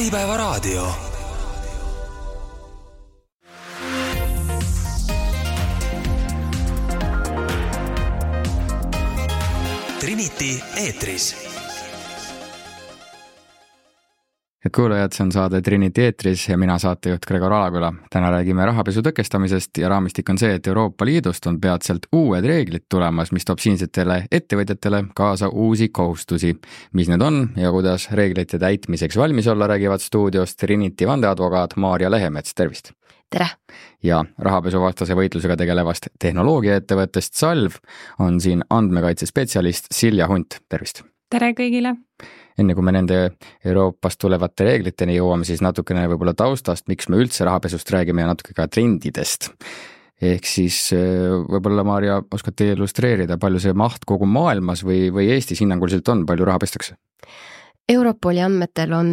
Äripäevaraadio. Trinity eetris. Head kuulajad, see on saade Trinity eetris ja mina saatejuht Gregor Alaküla. Täna räägime rahapesu tõkestamisest ja raamistik on see, et Euroopa Liidust on peatselt uued reeglid tulemas, mis toob siinsetele ettevõtjatele kaasa uusi kohustusi. Mis need on ja kuidas reeglite täitmiseks valmis olla, räägivad stuudios Trinity vandeadvokaat Maarja Lehemets, tervist! Tere! Ja rahapesuvastase võitlusega tegelevast tehnoloogiaettevõttest Salv on siin andmekaitsespetsialist Silja Hunt, tervist! Tere kõigile! Enne kui me nende Euroopast tulevate reegliteni jõuame, siis natukene võib-olla taustast, miks me üldse rahapesust räägime ja natuke ka trendidest. Ehk siis võib-olla, Maarja, oskad teie illustreerida, palju see maht kogu maailmas või Eestis hinnanguliselt on, palju raha pestakse? Europoli andmetel on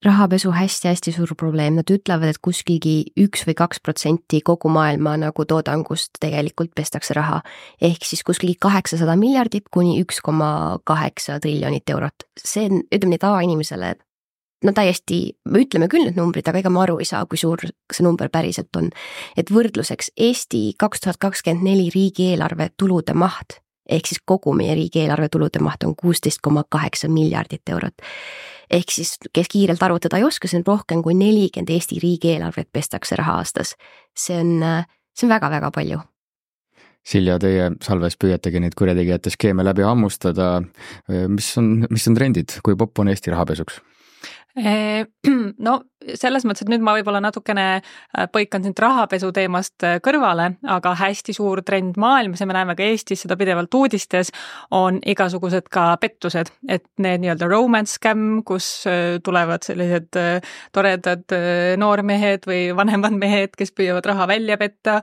rahapesu hästi suur probleem. Nad ütlevad, et kuskilgi 1 või 2% kogu maailma nagu toodangust tegelikult pestakse raha. Ehk siis kuskilgi 800 miljardit kuni 1,8 triljonit eurot. See on, ütleme nii tavainimesele, no täiesti, me ütleme küll need numbrid, aga ega ma aru ei saa, kui suur see number päriselt on. Et võrdluseks Eesti 2024 riigieelarve tulude maht, ehk siis kogu meie riigieelarve tulude maht on 16,8 miljardit eurot. Ehk siis, kes kiirelt arvutada ei oska, see on rohkem kui 40 Eesti riigieelarvet pestakse raha aastas. See on väga-väga palju. Silja, teie Salves püüategi neid kurjategijate skeeme läbi hammustada. Mis on trendid, kui popp on Eesti rahapesuks? No selles mõttes, et nüüd ma võib-olla natukene põikan sind rahapesu teemast kõrvale, aga hästi suur trend maailmas ja me näeme ka Eestis seda pidevalt uudistes, on igasugused ka pettused, et need nii-öelda romance scam, kus tulevad sellised toredad noormehed või vanemad mehed, kes püüavad raha välja petta,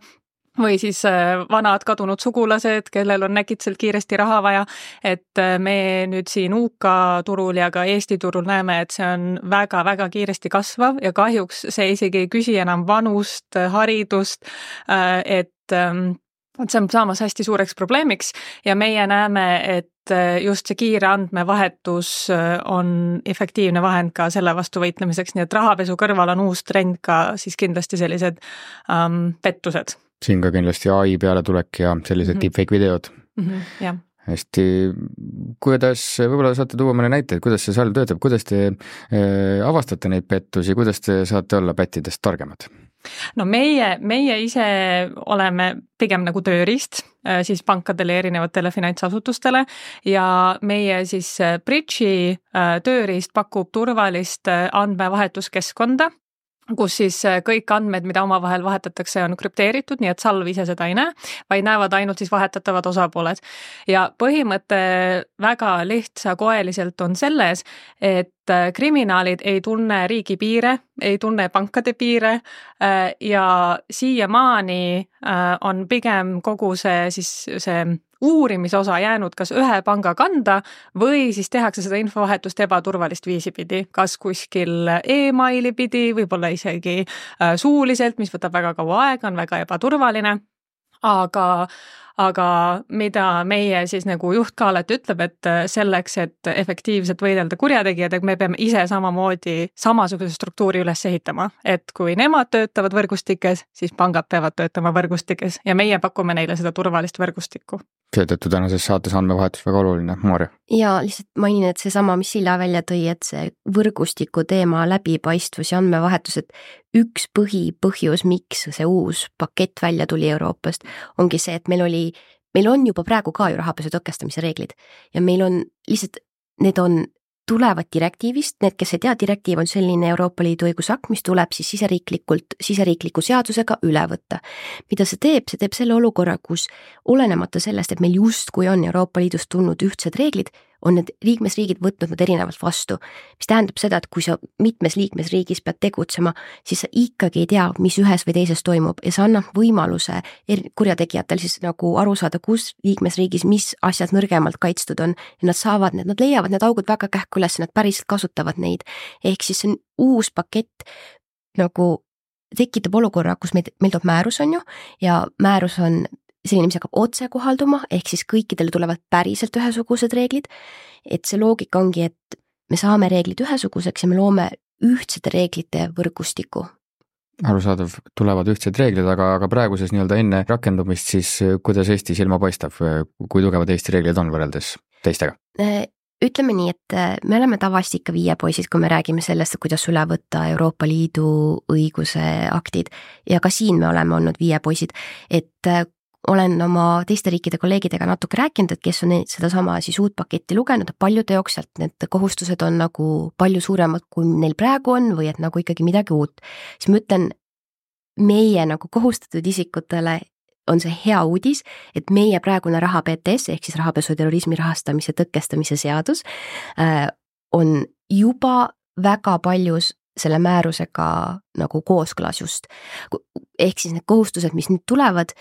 või siis vanad kadunud sugulased, kellel on äkitselt kiiresti raha vaja, et me nüüd siin UK turul ja ka Eesti turul näeme, et see on väga-väga kiiresti kasvav ja kahjuks see isegi ei küsi enam vanust, haridust, et see on saamas hästi suureks probleemiks ja meie näeme, et just see kiire andmevahetus on efektiivne vahend ka selle vastu võitlemiseks, nii et rahapesu kõrval on uus trend ka siis kindlasti sellised pettused. Siin ka kindlasti AI peale tulek ja sellised deepfake videod. Jah. Hästi, kuidas, võib-olla saate tuua mõne näite, kuidas see Salv töötab, kuidas te avastate neid pettusi, kuidas te saate olla pättidest targemad? No meie ise oleme pigem nagu tööriist siis pankadele ja erinevatele finantsasutustele ja meie siis Bridge'i tööriist pakub turvalist andmevahetuskeskkonda, kus siis kõik andmed, mida omavahel vahetatakse, on krüpteeritud, nii et Salv ise seda ei näe, vaid näevad ainult siis vahetatavad osapooled. Ja põhimõte väga lihtsakoeliselt on selles, et kriminaalid ei tunne riigi piire, ei tunne pankade piire ja siiamaani on pigem kogu see uurimisosa jäänud kas ühe panga kanda või siis tehakse seda infovahetust ebaturvalist viisi pidi, kas kuskil e-maili pidi, võib-olla isegi suuliselt, mis võtab väga kaua aega, on väga ebaturvaline, aga mida meie siis nagu juht ka alati ütleb, et selleks, et efektiivselt võidelda kurjategijad, et me peame ise samamoodi samasuguse struktuuri üles ehitama, et kui nemad töötavad võrgustikes, siis pangad peavad töötama võrgustikes ja meie pakume neile seda turvalist võrgustikku. Seetõttu tänases saates andmevahetus väga oluline, Maarja. Ja lihtsalt mainin, et see sama, mis Silja välja tõi, et see võrgustiku teema läbipaistvus ja andmevahetus, et üks põhjus, miks see uus pakett välja tuli Euroopast, ongi see, et meil on juba praegu ka ju rahapesu tõkestamise reeglid ja meil on lihtsalt, need tulevad direktiivist, need, kes ei tea, direktiiv on selline Euroopa Liidu õigusakt, mis tuleb siis siseriikliku seadusega üle võtta. Mida see teeb? See teeb selle olukorra, kus olenemata sellest, et meil justkui on Euroopa Liidust tulnud ühtsed reeglid, on need liikmesriigid võtnud nad erinevalt vastu, mis tähendab seda, et kui sa mitmes liikmesriigis pead tegutsema, siis sa ikkagi ei tea, mis ühes või teises toimub ja see annab võimaluse kurjategijatel siis nagu aru saada, kus liikmesriigis mis asjad nõrgemalt kaitstud on ja nad leiavad need augud väga kähku üles ja nad päriselt kasutavad neid. Ehk siis see on uus pakett nagu tekitab olukorra, kus meil toob määrus on ju ja määrus on selline, mis hakkab otse kohalduma, ehk siis kõikidele tulevad päriselt ühesugused reeglid, et see loogika ongi, et me saame reeglid ühesuguseks ja me loome ühtsete reeglite võrgustiku. Arusaadav, tulevad ühtsed reeglid, aga praeguses nii-öelda enne rakendumist siis kuidas Eesti silma paistab, kui tugevad Eesti reeglid on võrreldes teistega? Ütleme nii, et me oleme tavaliselt ikka viiepoisid, kui me räägime sellest, kuidas üle võtta Euroopa Liidu õiguse aktid ja ka siin me oleme olnud viiepoisid, et olen oma teiste riikide kolleegidega natuke rääkinud, et kes on sedasama siis uut paketti lugenud, et paljude jaoks sealt need kohustused on nagu palju suuremad, kui neil praegu on või et nagu ikkagi midagi uut. Siis ma ütlen, meie nagu kohustatud isikutele on see hea uudis, et meie praegune raha PTS ehk siis rahapesu ja terrorismi rahastamise tõkestamise seadus on juba väga paljus selle määrusega nagu kooskõlas just. Ehk siis need kohustused, mis nüüd tulevad,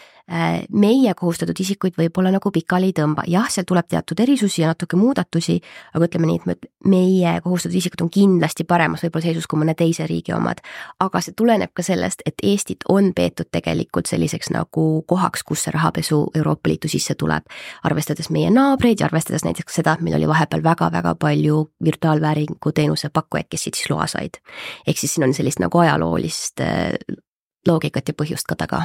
meie kohustatud isikuid võib-olla nagu pikali ei tõmba. Jah, seal tuleb teatud erisusi ja natuke muudatusi, aga ütleme nii, et meie kohustatud isikud on kindlasti paremas võib-olla seisus kui mõne teise riigi omad. Aga see tuleneb ka sellest, et Eestit on peetud tegelikult selliseks nagu kohaks, kus see rahapesu Euroopa Liitu sisse tuleb. Arvestades meie naabreid ja arvestades näiteks seda, et meil oli vahepeal väga-väga palju virtuaalvääringu teenuse pakkujaid, kes siit siis loa said. Ehk siis siin on sellist nagu ajaloolist loogikat ja põhjust ka taga.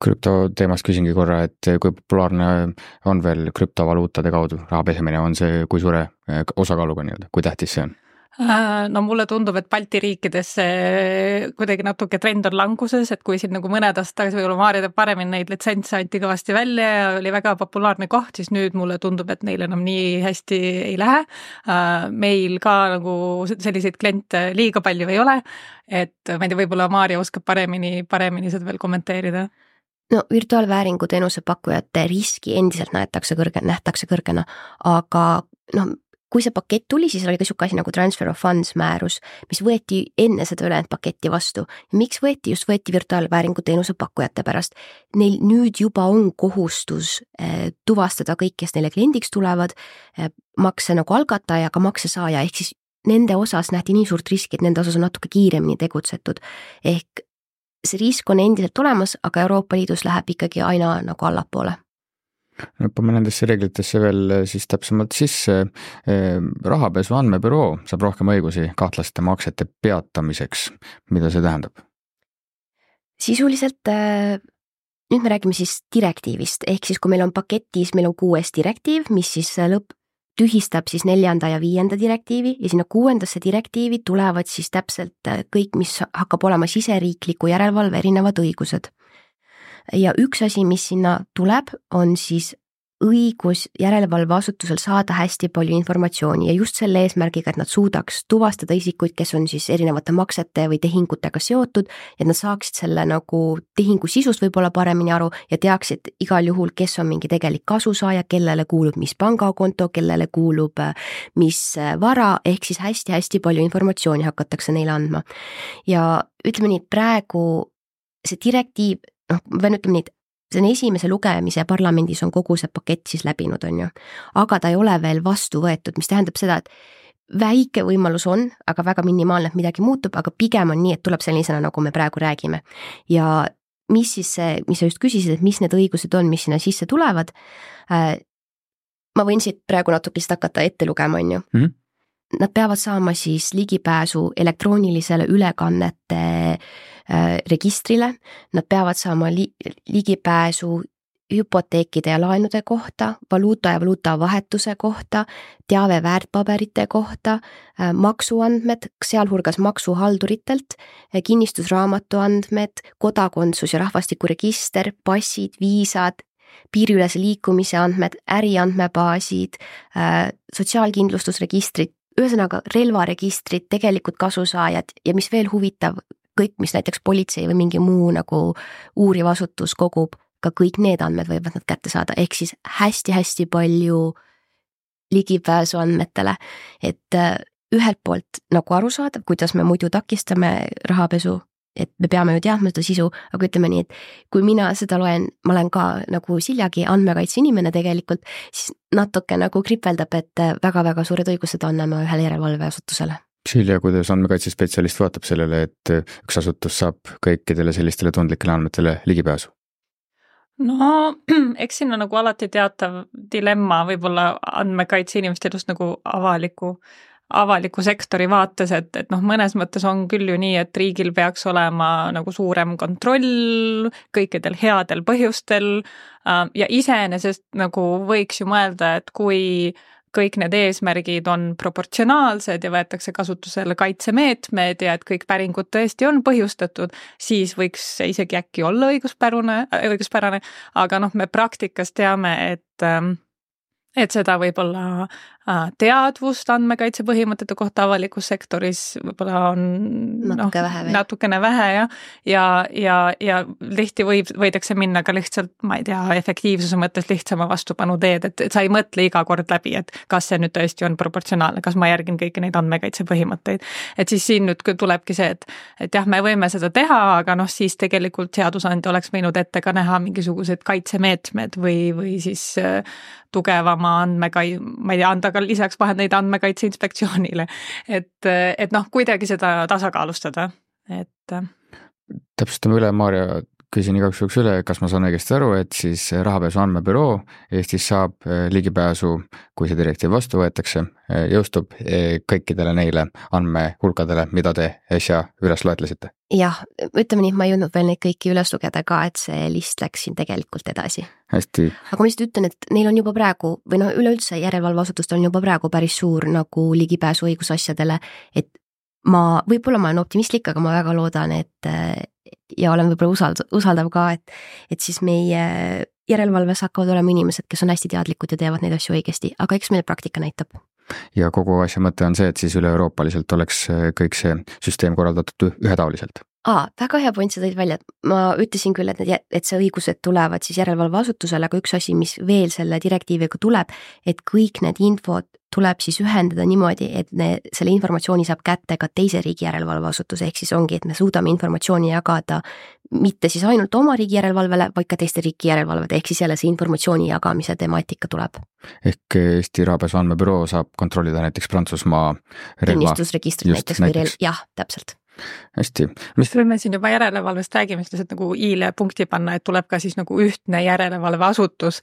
Krüptoteemast küsingi korra, et kui populaarne on veel krüptovaluutade kaudu raha pesemine, on see kui suure osakaaluga nii-öelda, kui tähtis see on? No mulle tundub, et Balti riikides kuidagi natuke trend on languses, et kui siin nagu mõned aastad tagasi võib-olla Maarja teeb paremini neid litsentse anti kõvasti välja ja oli väga populaarne koht, siis nüüd mulle tundub, et neil enam nii hästi ei lähe. Meil ka nagu selliseid kliente liiga palju ei ole, et ma ei tea, võib-olla Maarja oskab paremini seda veel kommenteerida. No virtuaalvääringu teenuse pakkujate riski endiselt nähtakse kõrgena, aga kui see pakett tuli, siis oli ka siuke asi nagu Transfer of Funds määrus, mis võeti enne seda ülejäänud paketti vastu. Ja miks võeti virtuaalvääringu teenuse pakkujate pärast? Neil nüüd juba on kohustus tuvastada kõik, kes neile kliendiks tulevad, makse nagu algataja, aga makse saaja, ehk siis nende osas nähti nii suurt riski, et nende osas on natuke kiiremini tegutsetud. Ehk see risk on endiselt olemas, aga Euroopa Liidus läheb ikkagi aina nagu allapoole. Õppame nendesse reeglitesse veel siis täpsemalt sisse. Rahapesu andmebüroo saab rohkem õigusi kahtlaste maksete peatamiseks. Mida see tähendab? Sisuliselt, nüüd me räägime siis direktiivist, ehk siis kui meil on paketis, meil on 6 direktiiv, mis siis tühistab siis 4. ja 5. direktiivi ja sinna 6. direktiivi tulevad siis täpselt kõik, mis hakkab olema siseriikliku järelevalve erinevad õigused. Ja üks asi, mis sinna tuleb, on siis õigus järelevalveasutusel saada hästi palju informatsiooni ja just selle eesmärgiga, et nad suudaks tuvastada isikuid, kes on siis erinevate maksete või tehingutega seotud, et nad saaksid selle nagu tehingu sisust võib-olla paremini aru ja teaksid igal juhul, kes on mingi tegelik kasusaaja, kellele kuulub mis pangakonto, kellele kuulub mis vara, ehk siis hästi-hästi palju informatsiooni hakatakse neile andma. Ja ütleme nii, et praegu see direktiiv, ma pean ütlema nii, et see on esimese lugemise parlamendis on kogu see pakett siis läbinud, on ju. Aga ta ei ole veel vastu võetud, mis tähendab seda, et väike võimalus on, aga väga minimaalne, et midagi muutub, aga pigem on nii, et tuleb sellisena, nagu me praegu räägime. Ja mis siis see, mis sa just küsisid, et mis need õigused on, mis sinna sisse tulevad, ma võin siit praegu natuke hakata ette lugema, on ju. Nad peavad saama siis ligipääsu elektroonilisele ülekannete registrile, nad peavad saama ligipääsu hüpoteekide ja laenude kohta, valuuta ja valuutavahetuse kohta, teave väärtpaberite kohta, maksuandmed, sealhulgas maksuhalduritelt, kinnistusraamatu andmed, kodakondsus ja rahvastikuregister, passid, viisad, piiriülese liikumise andmed, äriandmebaasid, sotsiaalkindlustusregistrid, ühesõnaga relvaregistrid, tegelikult kasusaajad ja mis veel huvitav, kõik, mis näiteks politsei või mingi muu nagu uuriv asutus kogub, ka kõik need andmed võivad nad kätte saada, ehk siis hästi-hästi palju ligipääsu andmetele, et ühelt poolt nagu aru saada, kuidas me muidu takistame rahapesu, et me peame ju teadma seda sisu, aga ütleme nii, et kui mina seda loen, ma olen ka nagu Siljagi andmekaitse inimene tegelikult, siis natuke nagu kripeldab, et väga-väga suured õigused anname ühele järelevalveasutusele. Silja, kuidas andmekaitsespetsialist vaatab sellele, et üks asutus saab kõikidele sellistele tundlikele andmetele ligipääsu? No, eks siin on nagu alati teatav dilemma võib-olla andmekaitse inimeste just nagu avaliku sektori vaates, et noh, mõnes mõttes on küll ju nii, et riigil peaks olema nagu suurem kontroll kõikidel headel põhjustel ja iseenesest nagu võiks ju mõelda, et kui kõik need eesmärgid on proportsionaalsed ja võetakse kasutusele kaitsemeetmed ja et kõik päringud tõesti on põhjustatud, siis võiks see isegi äkki olla õiguspärane, aga noh, me praktikas teame, et seda võib-olla teadvust andmekaitse põhimõtete kohta avalikus sektoris võib-olla on natukene vähe ja tihti võidakse minna ka lihtsalt, ma ei tea, efektiivsuse mõttes lihtsama vastupanu teed, et sa ei mõtle iga kord läbi, et kas see nüüd tõesti on proportsionaalne, kas ma järgin kõiki neid andmekaitse põhimõtteid. Et siis siin nüüd tulebki see, et jah, me võime seda teha, aga noh, siis tegelikult seadusandja oleks võinud ette ka näha mingisugused kaitsemeetmed või siis tugevama ma ei tea, anda ka lisaks vahendeid andmekaitse inspektsioonile, et noh, kuidagi seda tasakaalustada, et. Täpsustame üle, Maarja, küsin igaks juhuks üle, kas ma saan õigesti aru, et siis rahapesu andmebüroo Eestis saab ligipääsu, kui see direktiiv vastu võetakse, jõustub kõikidele neile andmehulkadele, mida te äsja üles loetlesite? Jah, ütleme nii, ma ei jõudnud veel neid kõiki üles lugeda ka, et see list läks siin tegelikult edasi. Hästi. Aga ma lihtsalt ütlen, et neil on juba praegu, või noh, üleüldse järelevalveasutustel on juba praegu päris suur nagu ligipääsu õigusasjadele, et võib-olla ma olen optimistlik, aga ma väga loodan, et ja olen võib-olla usaldav ka, et siis meie järelevalves hakkavad olema inimesed, kes on hästi teadlikud ja teevad neid asju õigesti, aga eks meil praktika näitab. Ja kogu asja mõte on see, et siis üle-euroopaliselt oleks kõik see süsteem korraldatud ühetaoliselt. Väga hea point, sa tõid välja, ma ütlesin küll, et see õigused tulevad siis järelevalveasutusele, aga üks asi, mis veel selle direktiiviga tuleb, et kõik need infod tuleb siis ühendada niimoodi, et selle informatsiooni saab kätte ka teise riigi järelevalveasutuse, ehk siis ongi, et me suudame informatsiooni jagada mitte siis ainult oma riigi järelevalvele, vaid ka teiste riigi järelevalved, ehk siis jälle see informatsiooni jagamise temaatika tuleb. Ehk Eesti rahapesu andmebüroo saab kontrollida näiteks Prantsusmaa kinnistusregistrit näiteks. Jah, täpselt. Hästi. Kui me siin juba järelevalvest räägime, siis nagu i-le punkti panna, et tuleb ka siis nagu ühtne järelevalveasutus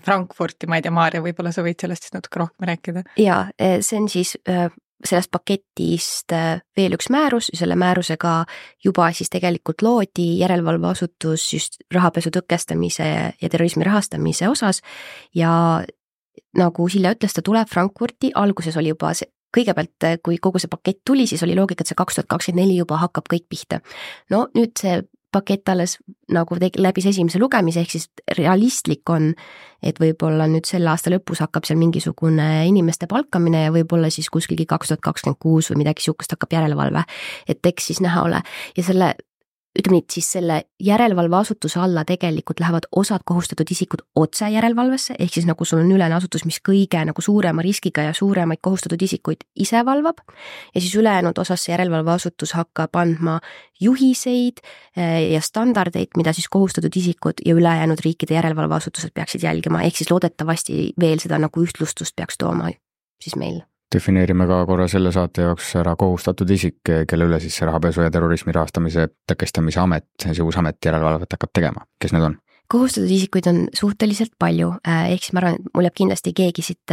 Frankfurti, ma ei tea, Maarja, võib-olla sa võid sellest siis natuke rohkem rääkida? Ja, see on siis sellest paketist veel üks määrus, selle määrusega juba siis tegelikult loodi järelevalveasutus just rahapesu tõkestamise ja terrorismi rahastamise osas ja nagu Silja ütles, ta tuleb Frankfurti, alguses oli juba see, kõigepealt, kui kogu see pakett tuli, siis oli loogika, et see 2024 juba hakkab kõik pihta. No nüüd see pakett alles nagu läbis esimese lugemise, ehk siis realistlik on, et võib-olla nüüd selle aasta lõpus hakkab seal mingisugune inimeste palkamine ja võib-olla siis kuskilgi 2026 või midagi sihukest hakkab järelevalve, et eks siis näha ole. Ja selle, ütleme nii, siis selle järelevalveasutuse alla tegelikult lähevad osad kohustatud isikud otse järelevalvesse, ehk siis nagu sul on ülene asutus, mis kõige nagu suurema riskiga ja suuremaid kohustatud isikuid ise valvab ja siis ülejäänud osas see järelevalveasutus hakkab andma juhiseid ja standardeid, mida siis kohustatud isikud ja ülejäänud riikide järelevalveasutused peaksid jälgima, ehk siis loodetavasti veel seda nagu ühtlustust peaks tooma siis meil. Defineerime ka korra selle saate jaoks ära kohustatud isik, kelle üle siis rahapesu ja terrorismi rahastamise tõkestamise amet, see uus amet järelevalvet hakkab tegema. Kes need on? Kohustatud isikuid on suhteliselt palju, ehk siis ma arvan, et mul jääb kindlasti keegi siit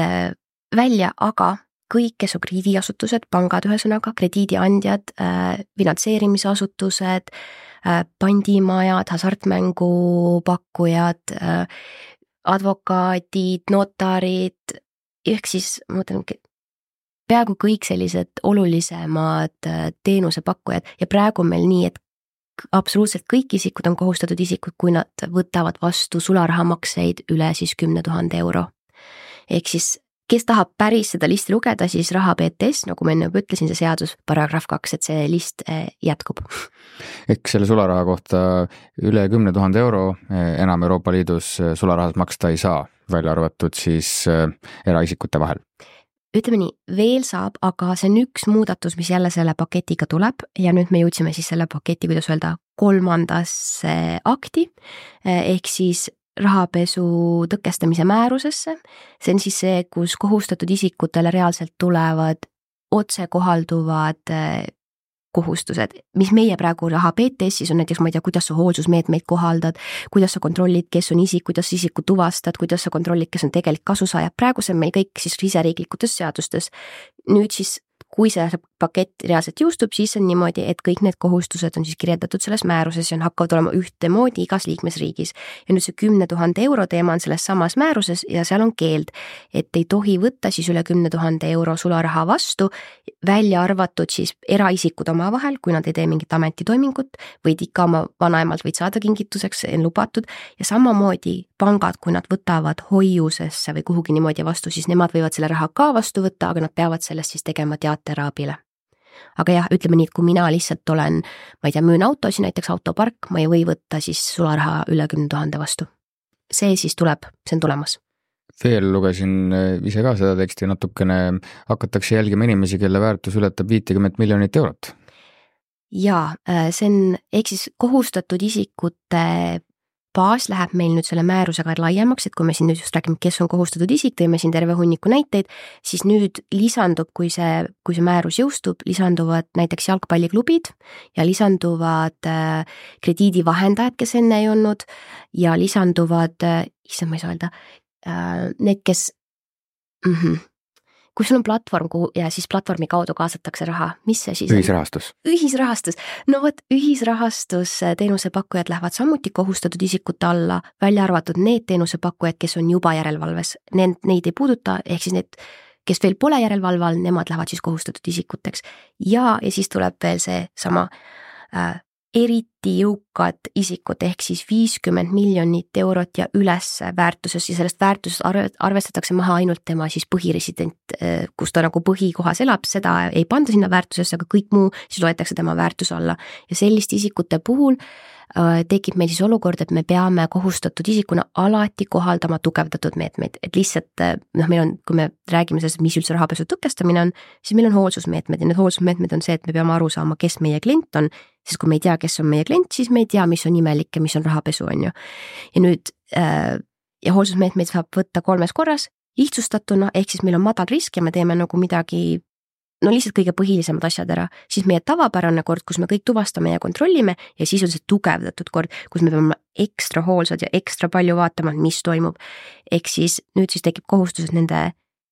välja, aga kõik, kes on krediidiasutused, pangad ühesõnaga, krediidiandjad, finantseerimisasutused, pandimajad, hasartmängupakkujad, advokaadid, notarid, ehk siis ma mõtlen, peaaegu kõik sellised olulisemad teenusepakkujad ja praegu on meil nii, et absoluutselt kõik isikud on kohustatud isikud, kui nad võtavad vastu sularahamakseid üle siis 10 000 euro. Ehk siis, kes tahab päris seda listi lugeda, siis raha BTS, nagu ma enne juba ütlesin, see seadus, paragrahv 2, et see list jätkub. Ehk selle sularaha kohta üle 10 000 euro enam Euroopa Liidus sularahas maksta ei saa, välja arvatud siis eraisikute vahel. Ütleme nii, veel saab, aga see on üks muudatus, mis jälle selle paketiga tuleb ja nüüd me jõudsime siis selle paketi, kuidas öelda, 3. akti, ehk siis rahapesu tõkestamise määrusesse. See on siis see, kus kohustatud isikutele reaalselt tulevad otsekohalduvad kohustused, mis meie praegu raha BTS-is on näiteks, ma ei tea, kuidas sa hoolsusmeetmeid kohaldad, kuidas sa kontrollid, kes on isik, kuidas isiku tuvastad, kuidas sa kontrollid, kes on tegelik kasusaaja, praegu see on meil kõik siis riseriiklikutes seadustes. Nüüd siis, kui see pakett reaalselt jõustub, siis on niimoodi, et kõik need kohustused on siis kirjeldatud selles määruses ja hakkavad olema ühtemoodi igas liikmesriigis. Ja nüüd see 10 000 euro teema on selles samas määruses ja seal on keeld, et ei tohi võtta siis üle 10 000 euro sularaha vastu, välja arvatud siis eraisikud oma vahel, kui nad ei tee mingit ametitoimingut, võid ikka oma vanaemalt võid saada kingituseks, on lubatud, ja samamoodi pangad, kui nad võtavad hoiusesse või kuhugi niimoodi vastu, siis nemad võivad selle raha ka vastu võtta, aga nad peavad sellest siis tegema teateraabile. Aga jah, ütleme nii, et kui mina lihtsalt olen, ma ei tea, müün autosi, näiteks autopark, ma ei või võtta siis sularaha üle 10 000 vastu. See siis tuleb, see on tulemas. Veel lugesin ise ka seda teksti natukene, hakatakse jälgima inimesi, kelle väärtus ületab 50 miljonit eurot. Jaa, see on, ehk siis kohustatud isikute baas läheb meil nüüd selle määrusega laiemaks, et kui me siin nüüd just räägime, kes on kohustatud isik, tõime siin terve hunniku näiteid, siis nüüd lisandub, kui see määrus jõustub, lisanduvad näiteks jalgpalliklubid ja lisanduvad krediidivahendajad, kes enne ei olnud, ja lisanduvad, issand, ma ei saa öelda, need, kes kui sul on platvorm ja siis platvormi kaudu kaasatakse raha, mis see siis Ühisrahastus. Ühisrahastus. No vot, ühisrahastus teenusepakkujad lähevad samuti kohustatud isikute alla, välja arvatud need teenusepakkujad, kes on juba järelevalves. Neid ei puuduta, ehk siis need, kes veel pole järelevalve all, nemad lähevad siis kohustatud isikuteks. Ja siis tuleb veel see sama eriti jõukad isikud ehk siis 50 miljonit eurot ja üles väärtuses ja sellest väärtusest arvestatakse maha ainult tema siis põhiresident, kus ta nagu põhikohas elab, seda ei panda sinna väärtusesse, aga kõik muu siis loetakse tema väärtus alla. Ja selliste isikute puhul tekib meil siis olukord, et me peame kohustatud isikuna alati kohaldama tugevdatud meetmeid, et lihtsalt meil on, kui me räägime sellest, mis üldse rahapesu tõkestamine on, siis meil on hoolsusmeetmed ja need hoolsusmeetmed on see, et me peame aru saama, kes meie klient on, sest kui me ei tea, kes on meie klient, siis me ei tea, mis on imelik ja mis on rahapesu, on ju. Ja nüüd ja hoolsusmeetmeid saab võtta 3 korras, lihtsustatuna, ehk siis meil on madal risk ja me teeme nagu midagi lihtsalt kõige põhilisemad asjad ära, siis meie tavapärane kord, kus me kõik tuvastame ja kontrollime ja siis on see tugevdatud kord, kus me peame ekstra hoolsad ja ekstra palju vaatama, mis toimub. Ehk siis nüüd siis tekib kohustus, et nende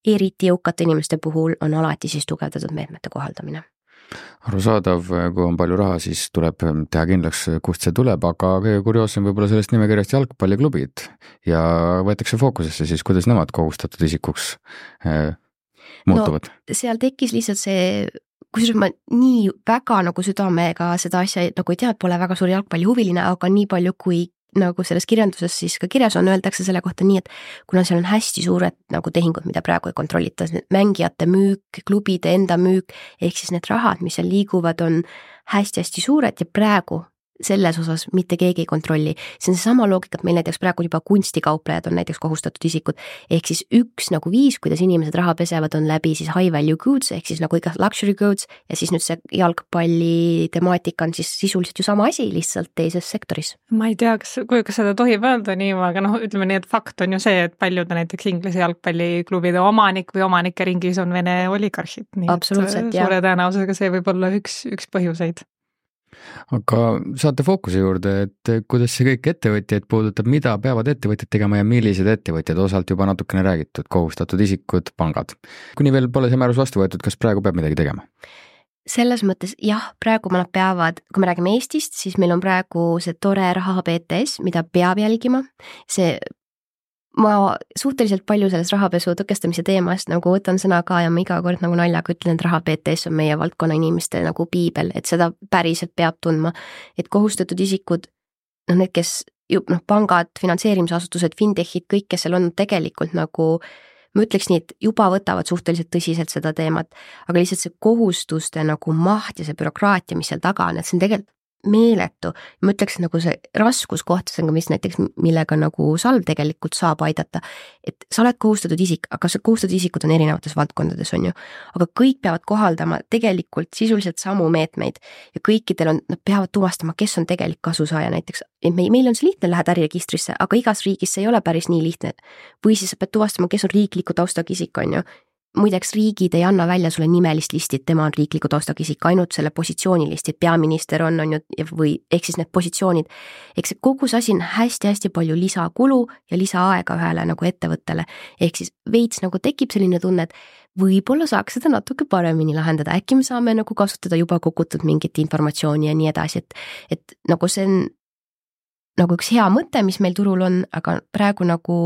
eriti jõukate inimeste puhul on alati siis tugevdatud meetmete kohaldamine. Arusaadav, kui on palju raha, siis tuleb teha kindlaks, kust see tuleb, aga kõige kurioossem võib-olla sellest nimekirjast jalgpalliklubid ja võetakse fookusesse siis, kuidas nemad kohustatud isikuks muutuvad. No, seal tekkis lihtsalt see, kusjuures ma nii väga nagu südamega seda asja nagu ei tea, pole väga suur jalgpallihuviline, aga nii palju kui nagu selles kirjanduses siis ka kirjas on, öeldakse selle kohta nii, et kuna seal on hästi suured nagu tehingud, mida praegu ei kontrollita, mängijate müük, klubide enda müük, ehk siis need rahad, mis seal liiguvad, on hästi-hästi suured ja praegu selles osas mitte keegi ei kontrolli. See on see sama loogika, et meil näiteks praegu juba kunstikauplejad on näiteks kohustatud isikud, ehk siis 1 nagu 5, kuidas inimesed raha pesevad, on läbi siis high value goods, ehk siis nagu iga luxury goods ja siis nüüd see jalgpalli temaatika on siis sisuliselt ju sama asi, lihtsalt teises sektoris. Ma ei tea, kas seda tohib öelda nii, aga ütleme nii, et fakt on ju see, et paljud näiteks Inglise jalgpalliklubide omanik või omanike ringis on Vene oligarhid. Absoluutselt, jah. Suure tõenäosusega see võib olla üks põhjuseid. Aga saate fookuse juurde, et kuidas see kõik ettevõtjaid puudutab, mida peavad ettevõtjad tegema ja millised ettevõtjad, osalt juba natukene räägitud, kohustatud isikud, pangad. Kuni veel pole see määrus vastu võetud, kas praegu peab midagi tegema? Selles mõttes jah, praegu nad peavad, kui me räägime Eestist, siis meil on praegu see tore raha BTS, mida peab jälgima. Ma suhteliselt palju sellest rahapesu tõkestamise teemast nagu võtan sõna ka ja ma iga kord nagu naljaga ütlen, et raha BTS on meie valdkonna inimeste nagu piibel, et seda päriselt peab tundma, et kohustatud isikud, need, kes pangad, finantseerimisasutused, fintechid, kõik, kes seal on tegelikult nagu, ma ütleks nii, et juba võtavad suhteliselt tõsiselt seda teemat, aga lihtsalt see kohustuste nagu maht ja see bürokraatia, mis seal taga on, et see on tegelikult meeletu. Ma ütleks nagu see raskuskoht, mis näiteks, millega nagu Salv tegelikult saab aidata, et sa oled kohustatud isik, aga see kohustatud isikud on erinevates valdkondades, on ju, aga kõik peavad kohaldama tegelikult sisuliselt samu meetmeid ja kõikidel on, nad peavad tuvastama, kes on tegelik kasusaaja näiteks. Meil on see lihtne, lähed äriregistrisse, aga igas riigis see ei ole päris nii lihtne. Või siis sa pead tuvastama, kes on riikliku taustaga isik, on ju. muideks riigid ei anna välja sulle nimelist listi, et tema on riikliku taustaga isik, ainult selle positsioonilisti, et peaminister on ju, või ehk siis need positsioonid. Eks kogu see asi on hästi-hästi palju lisakulu ja lisaaega ühele nagu ettevõttele. Ehk siis veits nagu tekib selline tunne, et võib-olla saaks seda natuke paremini lahendada, äkki me saame nagu kasutada juba kogutud mingit informatsiooni ja nii edasi, et nagu see on nagu üks hea mõte, mis meil turul on, aga praegu nagu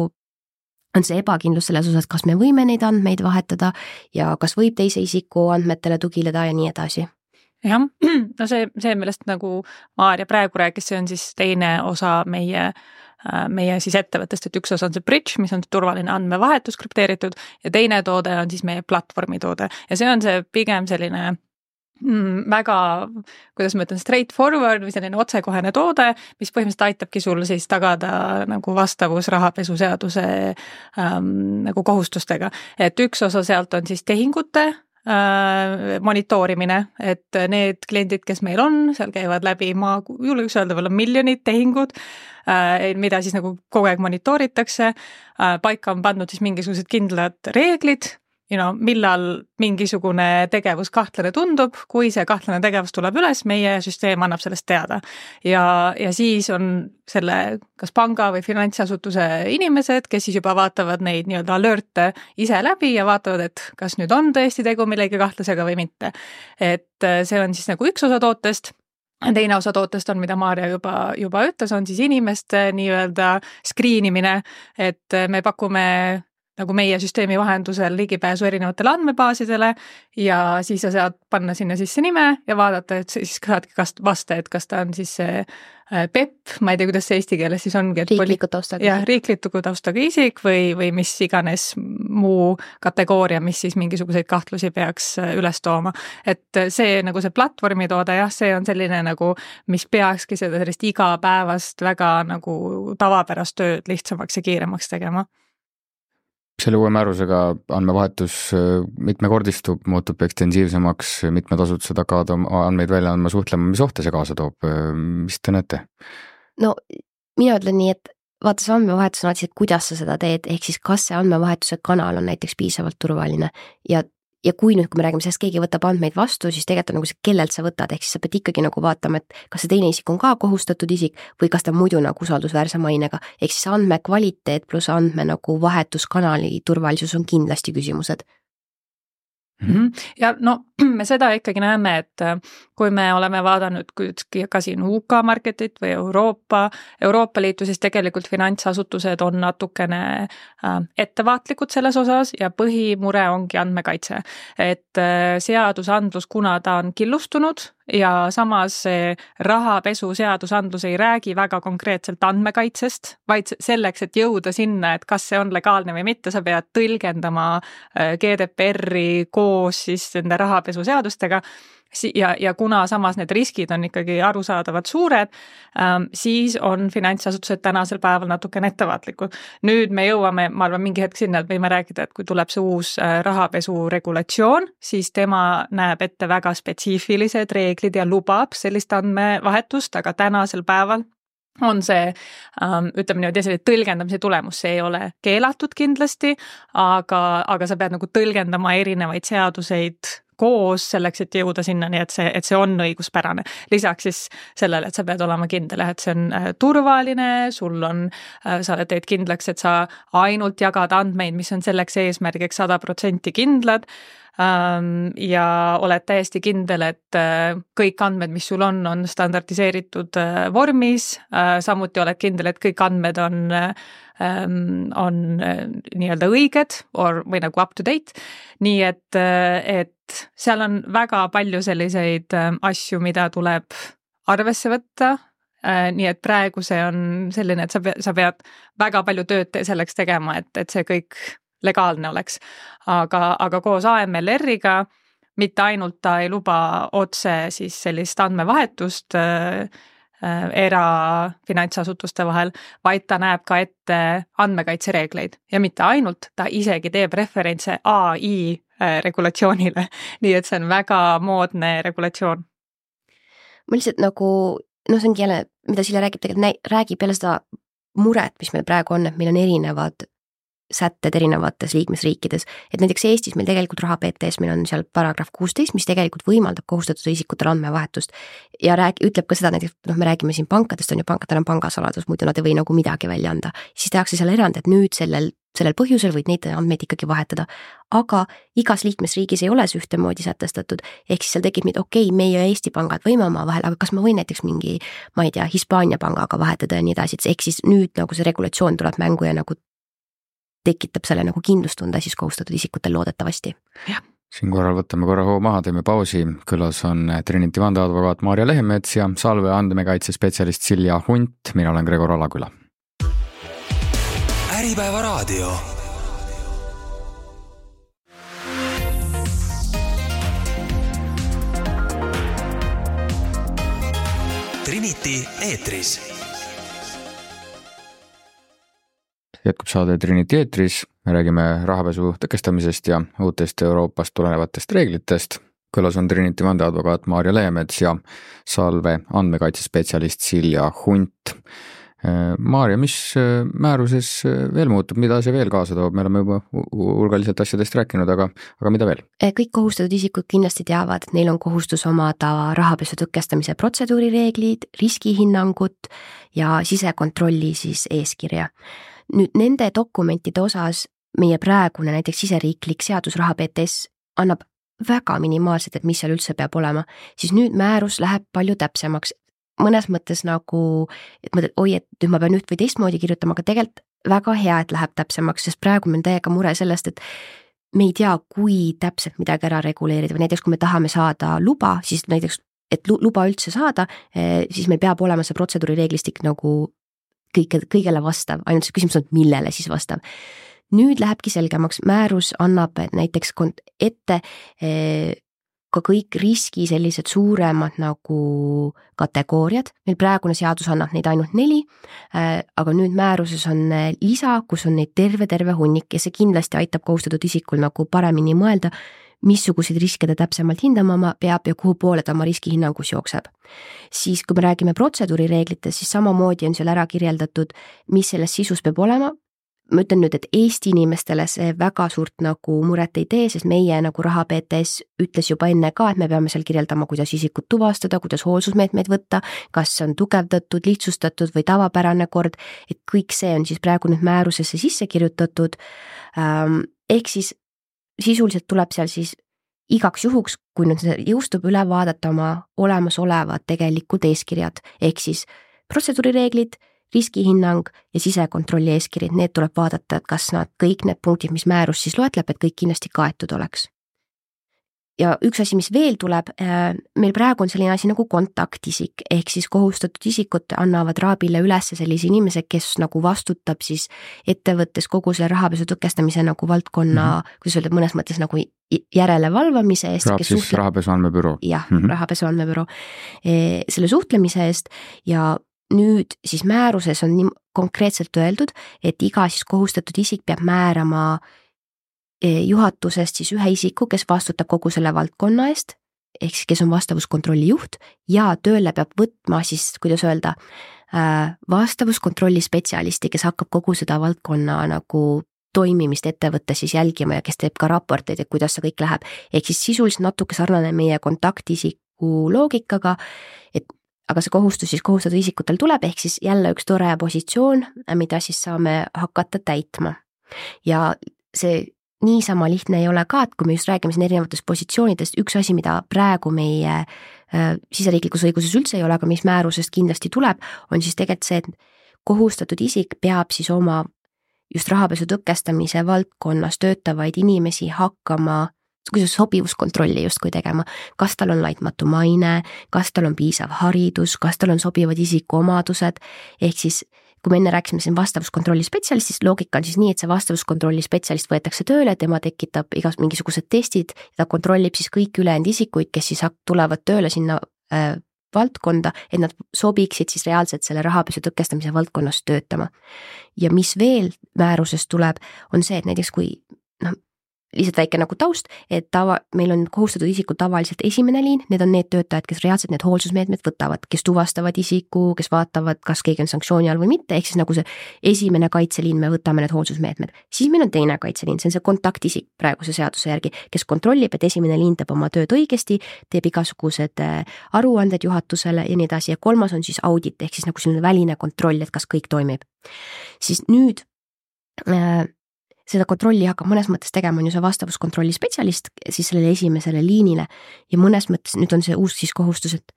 on see ebakindlus selles osas, kas me võime neid andmeid vahetada ja kas võib teise isiku andmetele tugileda ja nii edasi. Jah, no see, millest nagu Maarja praegu rääkis, see on siis teine osa meie siis ettevõttest, et üks osa on see bridge, mis on turvaline andmevahetus krüpteeritud ja teine toode on siis meie platvormi toode ja see on see pigem selline väga, kuidas ma ütlen, straightforward või selline otsekohene toode, mis põhimõtteliselt aitabki sul siis tagada nagu vastavus rahapesuseaduse nagu kohustustega. Et üks osa sealt on siis tehingute monitoorimine, et need kliendid, kes meil on, seal käivad läbi, ma julgeks öelda, veel on miljonid tehingud, mida siis nagu kogu aeg monitooritakse, paika on pandud siis mingisugused kindlad reeglid, millal mingisugune tegevus kahtlane tundub, kui see kahtlane tegevus tuleb üles, meie süsteem annab sellest teada. Ja siis on selle kas panga või finantsasutuse inimesed, kes siis juba vaatavad neid nii-öelda alert'e ise läbi ja vaatavad, et kas nüüd on tõesti tegu millegi kahtlasega või mitte. Et see on siis nagu üks osa tootest. Teine osa tootest on, mida Maarja juba ütles, on siis inimeste nii-öelda screenimine, et me pakume nagu meie süsteemi vahendusel ligipääsu erinevatele andmebaasidele ja siis sa saad panna sinna sisse nime ja vaadata, et siis saadki vasta, et kas ta on siis see PEP, ma ei tea, kuidas see eesti keeles siis ongi. Riikliku taustaga isik. Riikliku taustaga isik või mis iganes muu kategooria, mis siis mingisuguseid kahtlusi peaks üles tooma. Et see nagu see platvormi toode, jah, see on selline nagu, mis peakski seda sellist igapäevast väga nagu tavapärast tööd lihtsamaks ja kiiremaks tegema. Selle uue määrusega andmevahetus mitmekordistub, muutub ekstensiivsemaks, mitmed asutused hakkavad oma andmeid välja andma, suhtlema, mis ohte see kaasa toob, mis te näete? No mina ütlen nii, et vaata see andmevahetus on alati, et kuidas sa seda teed, ehk siis kas see andmevahetuse kanal on näiteks piisavalt turvaline ja kui nüüd, kui me räägime sellest, keegi võtab andmeid vastu, siis tegelikult on nagu see, kellelt sa võtad, ehk siis sa pead ikkagi nagu vaatama, et kas see teine isik on ka kohustatud isik või kas ta muidu nagu usaldusväärse mainega, ehk siis andme kvaliteet pluss andme nagu vahetuskanali turvalisus on kindlasti küsimused. Ja no me seda ikkagi näeme, et kui me oleme vaadanud ka siin UK marketit või Euroopa Liitu, siis tegelikult finantsasutused on natukene ettevaatlikud selles osas ja põhimure ongi andmekaitse. Et seadusandlus, kuna ta on killustunud ja samas rahapesu seadusandlus ei räägi väga konkreetselt andmekaitsest, vaid selleks, et jõuda sinna, et kas see on legaalne või mitte, sa pead tõlgendama GDPR-i koos siis nende rahapesu seadustega ja kuna samas need riskid on ikkagi arusaadavad suured, siis on finantsasutused tänasel päeval natukene ettevaatlikud. Nüüd me jõuame, ma arvan, mingi hetk sinna, et võime rääkida, et kui tuleb see uus rahapesu regulatsioon, siis tema näeb ette väga spetsiifilised reeglid ja lubab sellist andmevahetust, aga tänasel päeval on see, ütleme niimoodi, selline tõlgendamise tulemus, see ei ole keelatud kindlasti, aga sa pead nagu tõlgendama erinevaid seaduseid koos selleks, et jõuda sinna, nii et see on õiguspärane. Lisaks siis sellele, et sa pead olema kindel, et see on turvaline, sa teed kindlaks, et sa ainult jagad andmeid, mis on selleks eesmärgiks 100% kindlad ja oled täiesti kindel, et kõik andmed, mis sul on standardiseeritud vormis, samuti oled kindel, et kõik andmed on nii-öelda õiged või nagu up to date, nii et seal on väga palju selliseid asju, mida tuleb arvesse võtta, nii et praegu see on selline, et sa pead väga palju tööd selleks tegema, et see kõik legaalne oleks, aga koos AMLR-iga mitte ainult ta ei luba otse siis sellist andmevahetust erafinantsasutuste vahel, vaid ta näeb ka ette andmekaitsereegleid ja mitte ainult, ta isegi teeb referentse AI regulatsioonile, nii et see on väga moodne regulatsioon. Ma lihtsalt nagu, see ongi jälle, mida Silja räägib, tegelikult räägib jälle seda muret, mis meil praegu on, et meil on erinevad sätted erinevates liikmesriikides, et näiteks Eestis meil tegelikult raha PTS, meil on seal paragrahv 16, mis tegelikult võimaldab kohustatud isikutel andmevahetust ja ütleb ka seda, näiteks me räägime siin pankadest, on ju, pankadel on pangasaladus, muidu nad ei või nagu midagi välja anda, siis tehakse seal erand, et nüüd sellel põhjusel võid neid andmeid ikkagi vahetada, aga igas liikmesriigis ei ole see ühtemoodi sätestatud, ehk siis seal tekib okei, meie ja Eesti pangad võime oma vahel, aga kas ma võin näiteks mingi, ma ei tea, Hispaania pangaga vahetada ja nii edasi, ehk siis nüüd nagu see regulatsioon tuleb mängu ja nagu tekitab selle nagu kindlustunde siis kohustatud isikutel loodetavasti. Siin korral võtame korra hoo maha, teeme pausi, külas on Trinity vandeadvokaat Maarja Lehemets ja Salve andmekaitsespetsialist Silja Hunt, mina olen Gregor Alaküla. Äripäeva raadio. Trinity eetris. Jätkub saade Trinity eetris, me räägime rahapesu tõkestamisest ja uutest Euroopast tulenevatest reeglitest. Külas on Trinity vandeadvokaat Maarja Lehemets ja Salve andmekaitsespetsialist Silja Hunt. Maarja, mis määruses veel muutub, mida see veel kaasa toob? Me oleme juba hulgaliselt asjadest rääkinud, aga mida veel? Kõik kohustatud isikud kindlasti teavad, et neil on kohustus omada rahapesu tõkestamise protseduurireeglid, riskihinnangut ja sisekontrolli siis eeskirja. Nüüd nende dokumentide osas meie praegune näiteks siseriiklik seadus raha PTS annab väga minimaalselt, et mis seal üldse peab olema, siis nüüd määrus läheb palju täpsemaks. Mõnes mõttes nagu, et mõtled, et nüüd ma pean üht või teistmoodi kirjutama, aga tegelikult väga hea, et läheb täpsemaks, sest praegu meil täiega mure sellest, et me ei tea, kui täpselt midagi ära reguleerida või näiteks kui me tahame saada luba, siis näiteks, et luba üldse saada, siis meil peab olema see protseduurireeglistik nagu kõigele vastav, ainult see küsimus on, millele siis vastav. Nüüd lähebki selgemaks, määrus annab näiteks ette ka kõik riski sellised suuremad nagu kategooriad, meil praegune seadus annab neid ainult 4, aga nüüd määruses on lisa, kus on neid terve hunnik ja see kindlasti aitab kohustatud isikul nagu paremini mõelda, missuguseid riske ta täpsemalt hindama peab ja kuhu poole ta oma riskihinnangus jookseb. Siis kui me räägime protseduurireeglitest, siis samamoodi on seal ära kirjeldatud, mis selles sisus peab olema. Ma ütlen nüüd, et Eesti inimestele see väga suurt nagu muret ei tee, sest meie nagu raha PTS ütles juba enne ka, et me peame seal kirjeldama, kuidas isikut tuvastada, kuidas hoolsusmeetmeid võtta, kas on tugevdatud, lihtsustatud või tavapärane kord, et kõik see on siis praegu nüüd määrusesse sisse kirjutatud, ehk siis sisuliselt tuleb seal siis igaks juhuks, kui nüüd see jõustub, üle vaadata oma olemasolevad tegelikult eeskirjad, ehk siis protseduurireeglid, riskihinnang ja sisekontrolli eeskiri, need tuleb vaadata, et kas nad kõik need punktid, mis määrus siis loetleb, et kõik kindlasti kaetud oleks. Ja üks asi, mis veel tuleb, meil praegu on selline asi nagu kontaktisik, ehk siis kohustatud isikud annavad raabile üles sellise inimese, kes nagu vastutab siis ettevõttes kogu selle rahapesu tõkestamise nagu valdkonna, kuidas öelda, mõnes mõttes nagu järelevalvamise eest. Rahapesu andmebüroo. Jah, rahapesu andmebüroo. Selle suhtlemise eest ja nüüd siis määruses on nii konkreetselt öeldud, et iga siis kohustatud isik peab määrama juhatusest siis ühe isiku, kes vastutab kogu selle valdkonna eest, ehk siis kes on vastavuskontrolli juht ja tööle peab võtma siis, kuidas öelda, vastavuskontrolli spetsialisti, kes hakkab kogu seda valdkonna nagu toimimist ettevõttes siis jälgima ja kes teeb ka raporteid, et kuidas see kõik läheb. Ehk siis sisuliselt natuke sarnane meie kontaktisiku loogikaga, et aga see kohustus siis kohustatud isikutel tuleb, ehk siis jälle üks tore positsioon, mida siis saame hakata täitma. Ja see niisama lihtne ei ole ka, et kui me just räägime siin erinevatest positsioonidest, üks asi, mida praegu meie siseriiklikus õiguses üldse ei ole, aga mis määrusest kindlasti tuleb, on siis tegelikult see, et kohustatud isik peab siis oma just rahapesu tõkestamise valdkonnas töötavaid inimesi hakkama kuidas sobivuskontrolli justkui tegema, kas tal on laitmatu maine, kas tal on piisav haridus, kas tal on sobivad isikuomadused, ehk siis kui me enne rääkisime siin vastavuskontrolli spetsialistist, loogika on siis nii, et see vastavuskontrolli spetsialist võetakse tööle, tema tekitab mingisugused testid ja ta kontrollib siis kõik ülejäänud isikuid, kes siis tulevad tööle sinna valdkonda, et nad sobiksid siis reaalselt selle rahapesu tõkestamise valdkonnas töötama. Ja mis veel määrusest tuleb, on see, et näiteks kui lihtsalt väike nagu taust, et meil on kohustatud isikud tavaliselt esimene liin, need on need töötajad, kes reaalselt need hoolsusmeetmed võtavad, kes tuvastavad isiku, kes vaatavad, kas keegi on sanktsiooni all või mitte, ehk siis nagu see esimene kaitseliin, me võtame need hoolsusmeetmed. Siis meil on teine kaitseliin, see on see kontaktisik praeguse seaduse järgi, kes kontrollib, et esimene liin teeb oma tööd õigesti, teeb igasugused aruanded juhatusele ja nii edasi ja kolmas on siis audit, ehk siis nagu selline väline kontroll, et kas kõik toimib. Siis nüüd seda kontrolli hakkab mõnes mõttes tegema on ju see vastavuskontrolli spetsialist siis sellele esimesele liinile ja mõnes mõttes nüüd on see uus siis kohustus, et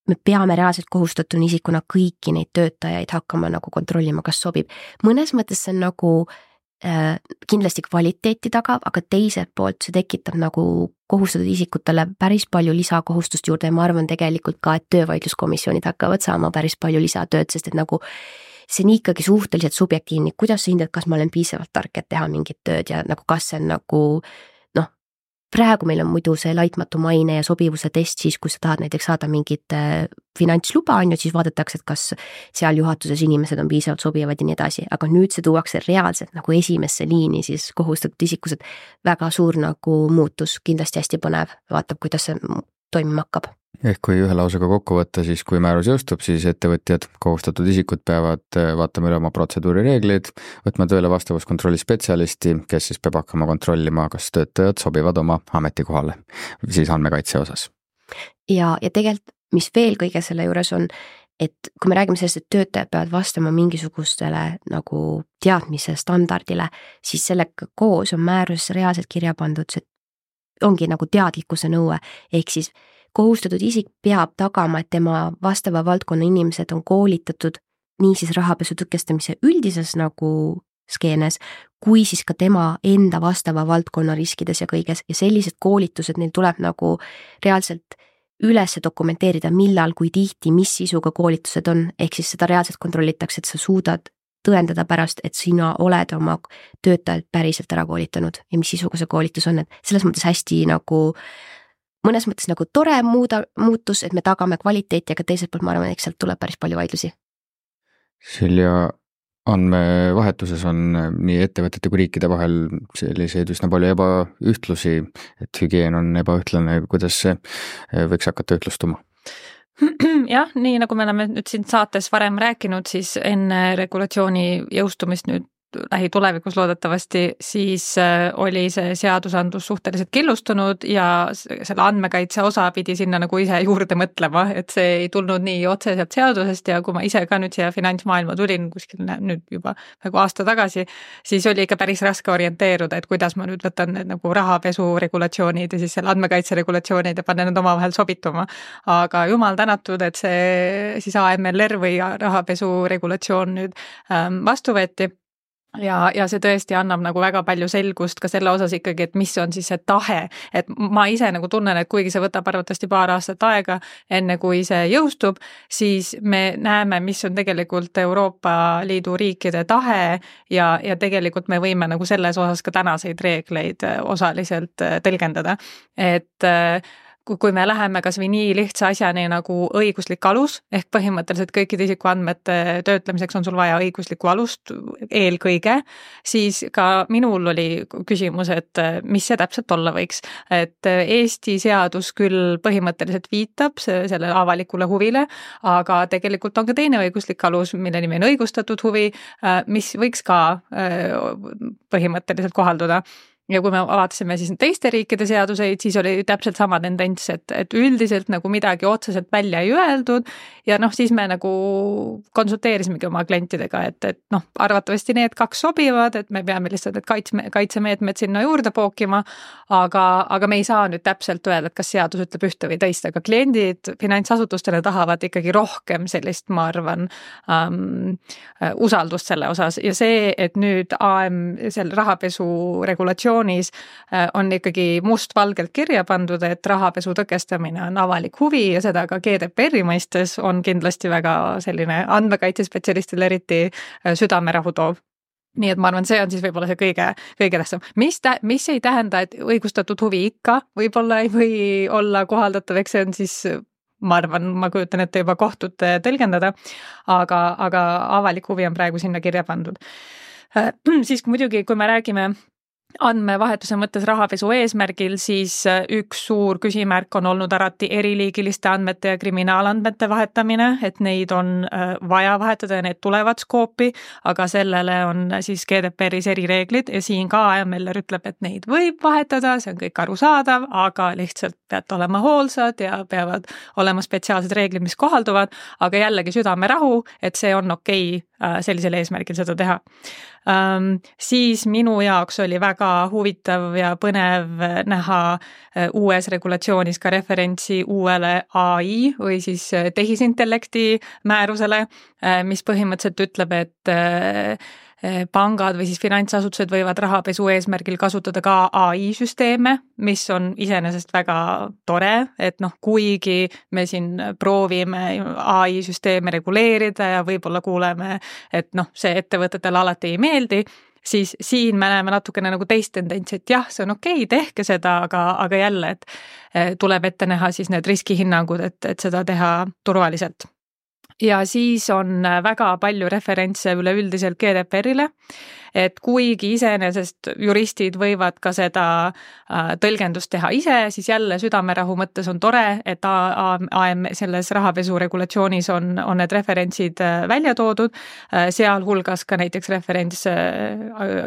me peame reaalselt kohustatuna isikuna kõiki neid töötajaid hakkama nagu kontrollima, kas sobib. Mõnes mõttes see on nagu kindlasti kvaliteeti tagab, aga teiselt poolt see tekitab nagu kohustatud isikutele päris palju lisakohustust juurde ja ma arvan tegelikult ka, et töövaidluskomisjonid hakkavad saama päris palju lisatööd, sest et nagu see on ikkagi suhteliselt subjektiivne, kuidas sa hindad, kas ma olen piisavalt tark, et teha mingit tööd ja nagu kas see on nagu praegu meil on muidu see laitmatu maine ja sobivuse test siis, kui sa tahad näiteks saada mingit finantsluba, on ju, siis vaadatakse, et kas seal juhatuses inimesed on piisavalt sobivad ja nii edasi, aga nüüd see tuuakse reaalselt nagu esimesse liini siis kohustatud isikused, väga suur nagu muutus, kindlasti hästi põnev, vaatab, kuidas see toimima hakkab. Ehk kui ühe lausega kokku võtta, siis kui määrus jõustub, siis ettevõtjad, kohustatud isikud peavad vaatama üle oma protseduurireeglid, võtma tööle vastavuskontrolli spetsialisti, kes siis peab hakkama kontrollima, kas töötajad sobivad oma ametikohale, siis andmekaitse osas. Ja tegelikult, mis veel kõige selle juures on, et kui me räägime sellest, et töötajad peavad vastama mingisugustele nagu teadmise standardile, siis sellega koos on määrus reaalselt kirja pandud, see ongi nagu teadlikkuse nõue, ehk siis kohustatud isik peab tagama, et tema vastava valdkonna inimesed on koolitatud nii siis rahapesu tõkestamise üldises nagu skeenes, kui siis ka tema enda vastava valdkonna riskides ja kõiges ja sellised koolitused, neil tuleb nagu reaalselt üles dokumenteerida, millal, kui tihti, mis sisuga koolitused on, ehk siis seda reaalselt kontrollitakse, et sa suudad tõendada pärast, et sina oled oma töötajalt päriselt ära koolitanud ja mis sisuga see koolitus on, et selles mõttes hästi nagu mõnes mõttes nagu tore muutus, et me tagame kvaliteeti, aga teiselt poolt ma arvan, et sealt tuleb päris palju vaidlusi. Silja, andmevahetuses on nii ettevõtete kui riikide vahel selliseid üsna palju ebaühtlusi, et hügieen on ebaühtlane, kuidas see võiks hakata ühtlustuma? Jah, nii nagu me oleme nüüd siin saates varem rääkinud, siis enne regulatsiooni jõustumist nüüd lähitulevikus loodetavasti, siis oli see seadusandlus suhteliselt killustunud ja selle andmekaitse osa pidi sinna nagu ise juurde mõtlema, et see ei tulnud nii otseselt seadusest ja kui ma ise ka nüüd siia finantsmaailma tulin kuskil nüüd juba nagu aasta tagasi, siis oli ikka päris raske orienteeruda, et kuidas ma nüüd võtan need nagu rahapesu regulatsioonid ja siis selle andmekaitse regulatsioonid ja panen need omavahel sobituma. Aga jumal tänatud, et see siis AMLR või rahapesu regulatsioon nüüd vastu võeti. Ja see tõesti annab nagu väga palju selgust ka selle osas ikkagi, et mis on siis see tahe, et ma ise nagu tunnen, et kuigi see võtab arvatavasti paar aastat aega, enne kui see jõustub, siis me näeme, mis on tegelikult Euroopa Liidu riikide tahe ja tegelikult me võime nagu selles osas ka tänaseid reegleid osaliselt tõlgendada, et kui me läheme kas või nii lihtsa asjani nagu õiguslik alus, ehk põhimõtteliselt kõikide isikuandmete töötlemiseks on sul vaja õiguslikku alust eelkõige, siis ka minul oli küsimus, et mis see täpselt olla võiks. Et Eesti seadus küll põhimõtteliselt viitab sellele avalikule huvile, aga tegelikult on ka teine õiguslik alus, mille nimi on õigustatud huvi, mis võiks ka põhimõtteliselt kohalduda. Ja kui me vaatasime siis teiste riikide seaduseid, siis oli täpselt sama tendents, et üldiselt nagu midagi otseselt välja ei öeldud ja siis me nagu konsulteerisimegi oma klientidega, et arvatavasti need kaks sobivad, et me peame lihtsalt kaitsemeetmed sinna juurde pookima, aga me ei saa nüüd täpselt öelda, et kas seadus ütleb ühte või teist, aga kliendid finantsasutustele tahavad ikkagi rohkem sellist, ma arvan, usaldust selle osas ja see, et nüüd selle rahapesu regulatsioon on ikkagi mustvalgelt kirja pandud, et rahapesu tõkestamine on avalik huvi ja seda ka GDPR-i mõistes on kindlasti väga selline andmekaitsespetsialistile eriti südamerahu toov. Nii et ma arvan, see on siis võib-olla see kõige tähtsam. Mis ei tähenda, et õigustatud huvi ikka võib-olla ei või olla kohaldatav, eks see on siis ma arvan, ma kujutan ette juba kohtute tõlgendada, aga avalik huvi on praegu sinna kirja pandud. Siis muidugi, kui me räägime andmevahetuse mõttes rahapesu eesmärgil, siis üks suur küsimärk on olnud alati eriliigiliste andmete ja kriminaalandmete vahetamine, et neid on vaja vahetada ja need tulevad skoopi, aga sellele on siis GDPR-is erireeglid ja siin ka AML ütleb, et neid võib vahetada, see on kõik arusaadav, aga lihtsalt peate olema hoolsad ja peavad olema spetsiaalsed reeglid, mis kohalduvad, aga jällegi südamerahu, et see on okei sellisel eesmärgil seda teha. Siis minu jaoks oli väga huvitav ja põnev näha uues regulatsioonis ka referentsi uuele AI või siis tehisintellekti määrusele, mis põhimõtteliselt ütleb, et pangad või siis finantsasutused võivad rahapesu eesmärgil kasutada ka AI-süsteeme, mis on iseenesest väga tore, et kuigi me siin proovime AI-süsteeme reguleerida ja võib-olla kuuleme, et see ettevõtetele alati ei meeldi, siis siin me näeme natukene nagu teist tendentsi, et jah, see on okei, tehke seda, aga jälle, et tuleb ette näha siis need riskihinnangud, et seda teha turvaliselt. Ja siis on väga palju referentse üleüldiselt GDPR-ile, et kuigi iseenesest juristid võivad ka seda tõlgendust teha ise, siis jälle südamerahu mõttes on tore, et selles rahapesu regulatsioonis on need referentsid välja toodud, sealhulgas ka näiteks referents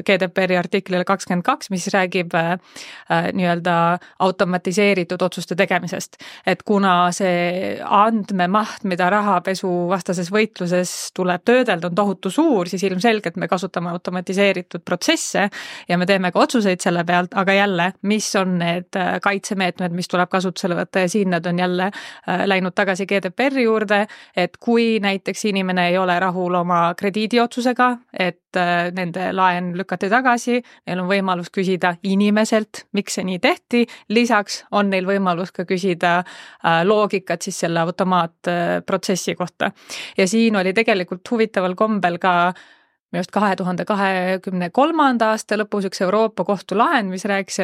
GDPR-i artiklile 22, mis räägib nii-öelda automatiseeritud otsuste tegemisest. Et kuna see andmemaht, mida rahapesu vastases võitluses tuleb töödelda, on tohutu suur, siis ilmselgelt me kasutame automatiseeritud protsesse ja me teeme ka otsuseid selle pealt, aga jälle, mis on need kaitsemeetmed, mis tuleb kasutusele võtta ja siin nad on jälle läinud tagasi GDPR-i juurde, et kui näiteks inimene ei ole rahul oma krediidiotsusega, et nende laen lükati tagasi, neil on võimalus küsida inimeselt, miks see nii tehti, lisaks on neil võimalus ka küsida loogikat siis selle automaatprotsessi kohta. Ja siin oli tegelikult huvitaval kombel ka minu arust 2023. aasta lõpus üks Euroopa kohtu lahend, mis rääkis,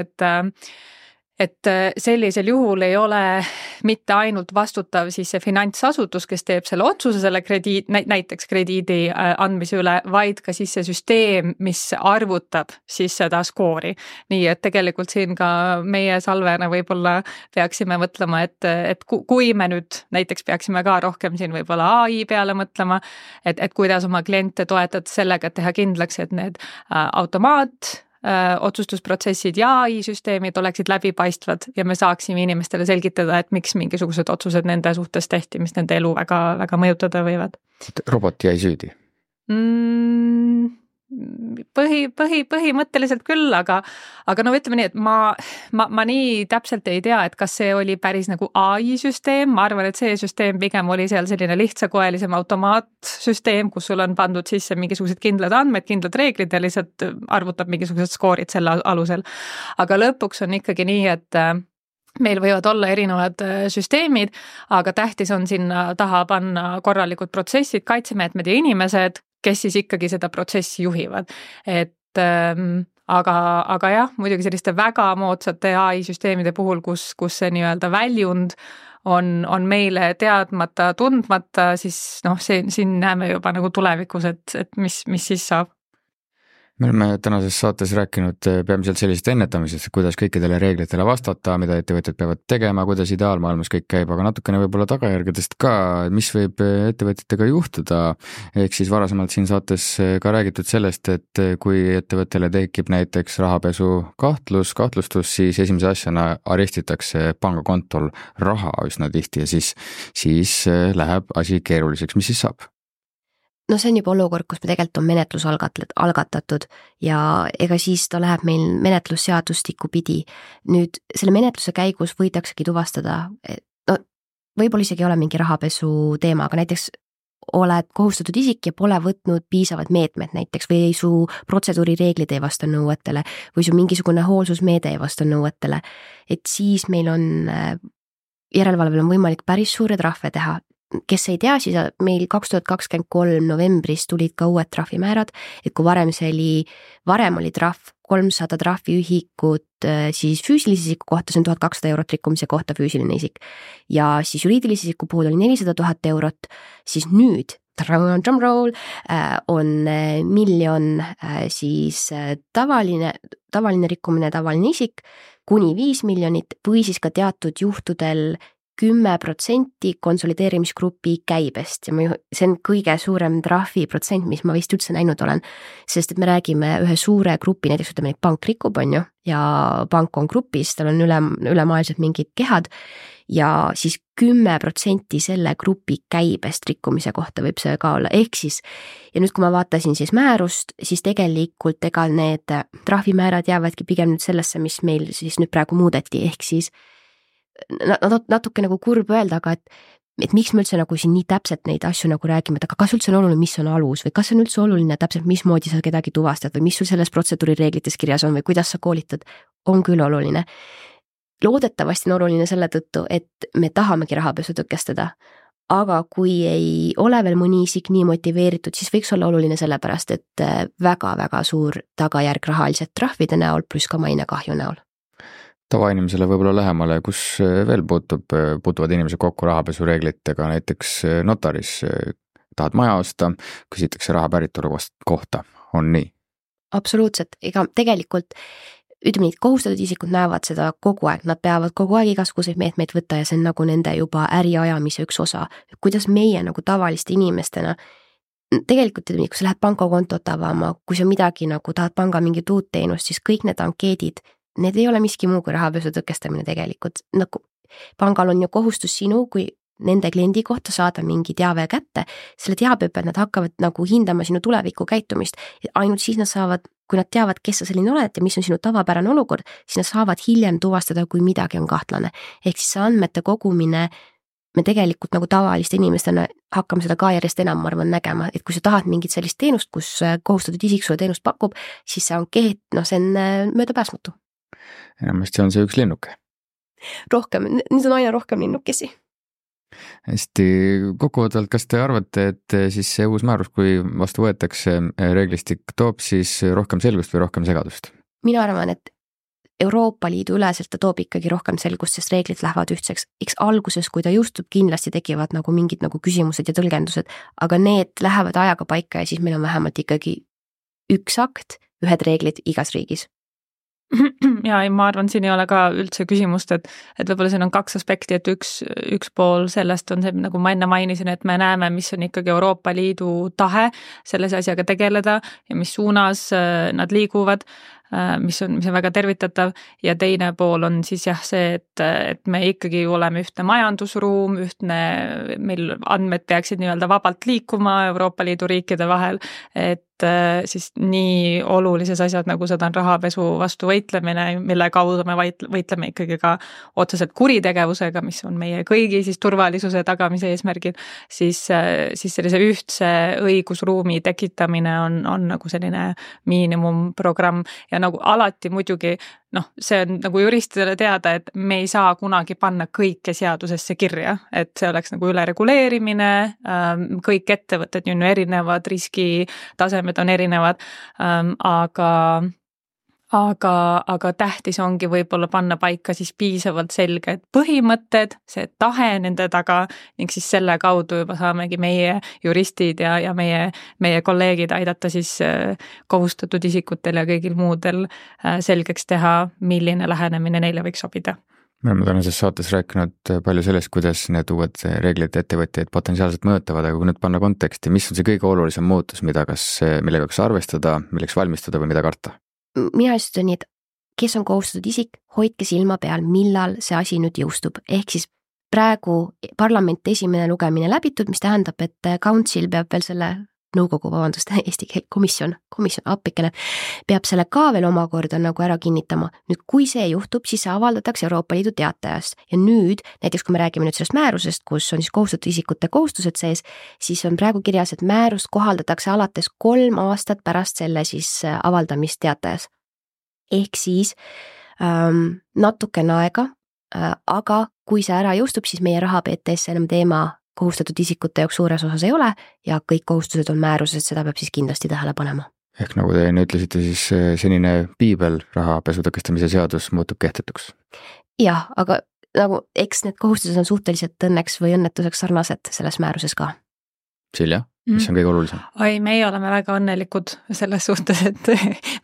et sellisel juhul ei ole mitte ainult vastutav siis see finantsasutus, kes teeb selle otsuse selle näiteks krediidi andmise üle, vaid ka siis see süsteem, mis arvutab siis seda skoori. Nii et tegelikult siin ka meie Salvena võib-olla peaksime mõtlema, et kui me nüüd näiteks peaksime ka rohkem siin võib-olla AI peale mõtlema, et kuidas oma kliente toetada sellega, et teha kindlaks, et need otsustusprotsessid ja AI-süsteemid oleksid läbipaistvad ja me saaksime inimestele selgitada, et miks mingisugused otsused nende suhtes tehti, mis nende elu väga, väga mõjutada võivad. Robot jäi süüdi? Põhimõtteliselt küll, aga ütleme nii, et ma nii täpselt ei tea, et kas see oli päris nagu AI-süsteem, ma arvan, et see süsteem pigem oli seal selline lihtsakoelisem automaatsüsteem, kus sul on pandud sisse mingisugused kindlad andmed, kindlad reeglid ja lihtsalt arvutab mingisugused skoorid selle alusel. Aga lõpuks on ikkagi nii, et meil võivad olla erinevad süsteemid, aga tähtis on sinna taha panna korralikud protsessid, kaitsemeetmed ja inimesed, kes siis ikkagi seda protsessi juhivad. Aga jah, muidugi selliste väga moodsate AI-süsteemide puhul, kus see nii-öelda väljund on meile teadmata, tundmata, siis siin näeme juba nagu tulevikus, et mis siis saab. Me oleme tänases saates rääkinud peamiselt sellisest ennetamisest, kuidas kõikidele reeglitele vastata, mida ettevõtjad peavad tegema, kuidas ideaalmaailmas kõik käib, aga natukene võib-olla tagajärgedest ka, mis võib ettevõtjatega juhtuda. Ehk siis varasemalt siin saates ka räägitud sellest, et kui ettevõttele tekib näiteks rahapesu kahtlustus, siis esimese asjana arestitakse pangakontol raha üsna tihti ja siis läheb asi keeruliseks. Mis siis saab? See on juba olukord, kus me tegelikult on menetlus algatatud ja ega siis ta läheb meil menetlusseadustiku pidi. Nüüd selle menetluse käigus võidaksegi tuvastada, võib-olla isegi ei ole mingi rahapesu teema, aga näiteks oled kohustatud isik ja pole võtnud piisavad meetmed näiteks või su protseduurireeglid ei vasta nõuetele või su mingisugune hoolsusmeede ei vasta nõuetele, et siis meil on järelevalvel on võimalik päris suure trahve teha. Kes ei tea, siis meil 2023 novembris tulid ka uued trahvimäärad, et kui varem oli trahv 300 trahviühikut siis füüsilise isiku kohta, see on 1200 eurot rikkumise kohta füüsiline isik ja siis juriidilise isiku puhul oli 400 000 eurot, siis nüüd drum roll, on 1 miljon siis tavaline rikkumine, tavaline isik, kuni 5 miljonit või siis ka teatud juhtudel 10% konsolideerimisgrupi käibest ja see on kõige suurem trahviprotsent, mis ma vist üldse näinud olen, sest et me räägime ühe suure grupi, näiteks ütleme, et pank rikub, on ju, ja pank on grupis, tal on ülemaailmselt mingid kehad ja siis 10% selle grupi käibest rikkumise kohta võib see ka olla, ehk siis ja nüüd, kui ma vaatasin siis määrust, siis tegelikult ega need trahvimäärad jäävadki pigem nüüd sellesse, mis meil siis nüüd praegu muudeti, ehk siis natuke nagu kurb öelda, aga et miks me üldse nagu siin nii täpselt neid asju nagu räägime, et aga kas üldse on oluline, mis on alus või kas on üldse oluline täpselt, mismoodi sa kedagi tuvastad või mis sul selles protseduurireeglites kirjas on või kuidas sa koolitad, on küll oluline. Loodetavasti on oluline selle tõttu, et me tahamegi rahapesu tõkestada, aga kui ei ole veel mõni isik nii motiveeritud, siis võiks olla oluline sellepärast, et väga-väga suur tagajärg rahaliselt trahvide näol pluss ka mainekahju näol. Tavainimesele võib-olla lähemale, kus veel puutuvad inimesed kokku rahapesureeglitega, näiteks notaris, tahad maja osta, küsitakse raha päritolu kohta, on nii? Absoluutselt, ega tegelikult ütleme nii, kohustatud isikud näevad seda kogu aeg, nad peavad kogu aeg igasuguseid meetmeid võtta ja see on nagu nende juba äriajamise üks osa, kuidas meie nagu tavaliste inimestena tegelikult, kui sa lähed pangakontot avama, kui sa midagi nagu tahad panga mingit uut teenust, siis kõik need ankeedid, need ei ole miski muu kui rahapesu tõkestamine tegelikult, nagu pangal on ju kohustus sinu kui nende kliendi kohta saada mingi teave kätte, selle teabe peal nad hakkavad nagu hindama sinu tuleviku käitumist, ainult siis nad saavad, kui nad teavad, kes sa selline oled ja mis on sinu tavapärane olukord, siis nad saavad hiljem tuvastada, kui midagi on kahtlane, ehk siis see andmete kogumine, me tegelikult nagu tavaliste inimestena hakkame seda ka järjest enam, ma arvan, nägema, et kui sa tahad mingit sellist teenust, kus kohustatud isik sulle teenust pakub, siis see ankeet, see on möödapääsmatu. Enamasti on see üks linnuke. Rohkem, nüüd on aina rohkem linnukesi. Hästi, kokkuvõtvalt, kas te arvate, et siis see uus määrus, kui vastu võetakse reeglistik, toob siis rohkem selgust või rohkem segadust? Mina arvan, et Euroopa Liidu üleselt ta toob ikkagi rohkem selgust, sest reeglid lähevad ühtseks. Eks alguses, kui ta jõustub, kindlasti tekivad nagu mingid nagu küsimused ja tõlgendused, aga need lähevad ajaga paika ja siis meil on vähemalt ikkagi üks akt, ühed reeglid igas riigis. Ja ma arvan, siin ei ole ka üldse küsimust, et võib-olla siin on 2 aspekti, et üks pool sellest on see, nagu ma enne mainisin, et me näeme, mis on ikkagi Euroopa Liidu tahe selles asjaga tegeleda ja mis suunas nad liiguvad, mis on väga tervitatav ja teine pool on siis jah see, et me ikkagi oleme ühtne majandusruum, meil andmed peaksid nii-öelda vabalt liikuma Euroopa Liidu riikide vahel, et siis nii olulises asjad, nagu seda on rahapesu vastu võitlemine, mille kaudu me võitleme ikkagi ka otseselt kuritegevusega, mis on meie kõigi siis turvalisuse tagamise eesmärgil, siis sellise ühtse õigusruumi tekitamine on nagu selline miinimumprogramm ja nagu alati muidugi, see on nagu juristidele teada, et me ei saa kunagi panna kõike seadusesse kirja, et see oleks nagu ülereguleerimine, kõik ettevõtted on ju erinevad, riskitasemed on erinevad, aga tähtis ongi võib-olla panna paika siis piisavalt selged põhimõtted, see tahe nende taga ning siis selle kaudu juba saamegi meie juristid ja meie kolleegid aidata siis kohustatud isikutel ja kõigil muudel selgeks teha, milline lähenemine neile võiks sobida. Me oleme tänases saates rääkinud palju sellest, kuidas need uued reeglid ettevõtjaid potentsiaalselt mõjutavad, aga kui nüüd panna konteksti, mis on see kõige olulisem muutus, millega kas arvestada, milleks valmistuda või mida karta? Mina ütlen nii, et kes on kohustatud isik, hoidke silma peal, millal see asi nüüd jõustub. Ehk siis praegu parlamenti esimene lugemine läbitud, mis tähendab, et council peab veel selle eesti keel, komisjon appikene, peab selle ka veel omakorda nagu ära kinnitama. Nüüd, kui see juhtub, siis see avaldatakse Euroopa Liidu teatajast ja nüüd, näiteks kui me räägime nüüd sellest määrusest, kus on siis kohustatud isikute kohustused sees, siis on praegu kirjas, et määrust kohaldatakse alates 3 aastat pärast selle siis avaldamist teatajas. Ehk siis natukene aega, aga kui see ära jõustub, siis meie rahapeetes enam teema kohustatud isikute jaoks suures osas ei ole ja kõik kohustused on määruses, seda peab siis kindlasti tähele panema. Ehk nagu te enne ütlesite, siis senine piibel rahapesu tõkestamise seadus muutub kehtetuks? Jah, aga nagu eks need kohustused on suhteliselt õnneks või õnnetuseks sarnased selles määruses ka. Silja? mis on kõige olulisem? Oi, meie oleme väga õnnelikud selles suhtes, et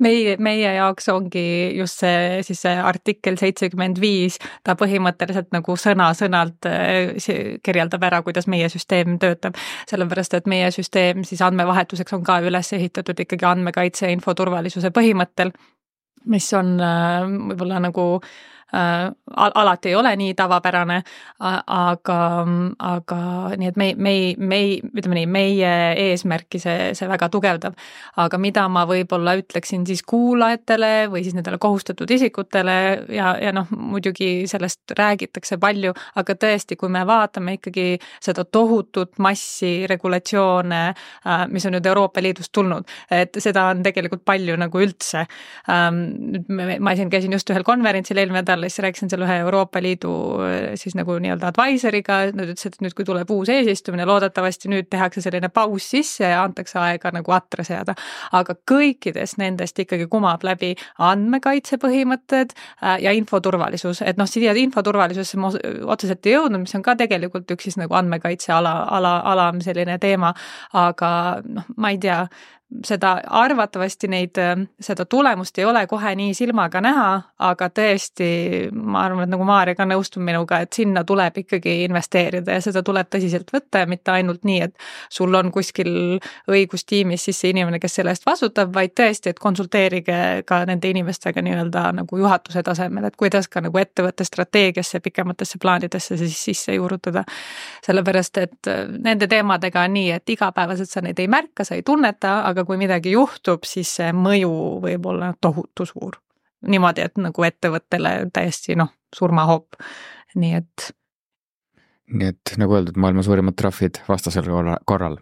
meie jaoks ongi just see artikkel 75, ta põhimõtteliselt nagu sõna-sõnalt kirjeldab ära, kuidas meie süsteem töötab. Sellepärast, et meie süsteem siis andmevahetuseks on ka üles ehitatud ikkagi andmekaitse ja infoturvalisuse põhimõttel, mis on võib-olla nagu alati ei ole nii tavapärane, aga nii, et ütleme nii, meie eesmärki see väga tugevdab. Aga mida ma võib-olla ütleksin siis kuulajatele või siis nendele kohustatud isikutele ja muidugi sellest räägitakse palju, aga tõesti, kui me vaatame ikkagi seda tohutut massi regulatsioone, mis on nüüd Euroopa Liidust tulnud, et seda on tegelikult palju nagu üldse. Ma käisin just ühel konverentsil eelmine nädal, siis rääkisin seal ühe Euroopa Liidu siis nagu nii-öelda advisoriga, nad ütles, et nüüd kui tuleb uus eesistumine, loodetavasti nüüd tehakse selline paus sisse ja antakse aega nagu atre seada. Aga kõikides nendest ikkagi kumab läbi andmekaitse põhimõtted ja infoturvalisus. Et siia infoturvalisusesse ma otseselt ei jõudnud, mis on ka tegelikult üks siis nagu andmekaitse ala selline teema, aga ma ei tea, seda arvatavasti seda tulemust ei ole kohe nii silmaga näha, aga tõesti, ma arvan, et nagu Maarja ka nõustub minuga, et sinna tuleb ikkagi investeerida ja seda tuleb tõsiselt võtta ja mitte ainult nii, et sul on kuskil õigustiimis siis see inimene, kes selle eest vastutab, vaid tõesti, et konsulteerige ka nende inimestega nii-öelda nagu juhatuse tasemel, et kuidas ka nagu ettevõtte strateegiasse, pikematesse plaanidesse siis sisse juurutada. Sellepärast, et nende teemadega on nii, et igapäevaselt sa neid ei märka, sa ei tunneta, aga kui midagi juhtub, siis see mõju võib olla tohutu suur. Niimoodi, et nagu ettevõttele täiesti surmahoop. Nii et nagu öeldud, maailma suurimad trahvid vastasel korral.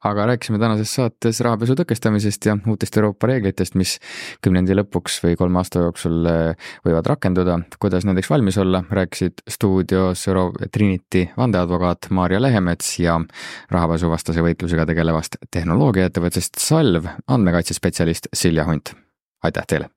Aga rääkisime tänases saates rahapesu tõkestamisest ja uutest Euroopa reeglitest, mis 10. lõpuks või 3 aasta jooksul võivad rakenduda. Kuidas nendeks valmis olla, rääkisid stuudios Trinity vandeadvokaat Maarja Lehemets ja rahapesuvastase võitlusega tegelevast tehnoloogiaettevõttest Salv andmekaitsespetsialist Silja Hunt. Aitäh teile!